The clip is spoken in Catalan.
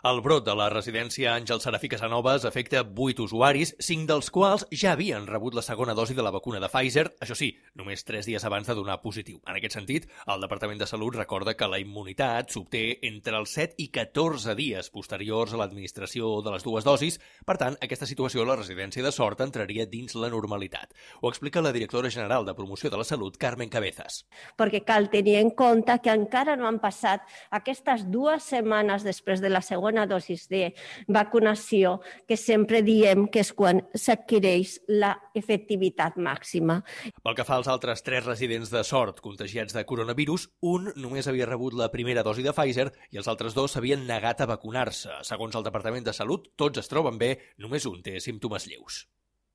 El brot de la residència Àngel Serafí Casanovas afecta 8 usuaris, 5 dels quals ja havien rebut la segona dosi de la vacuna de Pfizer, això sí, només 3 dies abans de donar positiu. En aquest sentit, el Departament de Salut recorda que la immunitat s'obté entre els 7 i 14 dies posteriors a l'administració de les dues dosis. Per tant, aquesta situació a la residència de Sort entraria dins la normalitat. Ho explica la directora general de Promoció de la Salut, Carmen Cabezas. Perquè cal tenir en compte que encara no han passat aquestes 2 setmanes després de la segona dosis de vacunació, que sempre diem que és quan s'adquireix la efectivitat màxima. Pel que fa als altres 3 residents de Sort contagiats de coronavirus, un només havia rebut la primera dosi de Pfizer i els altres 2 s'havien negat a vacunar-se. Segons el Departament de Salut, tots es troben bé, només un té símptomes lleus.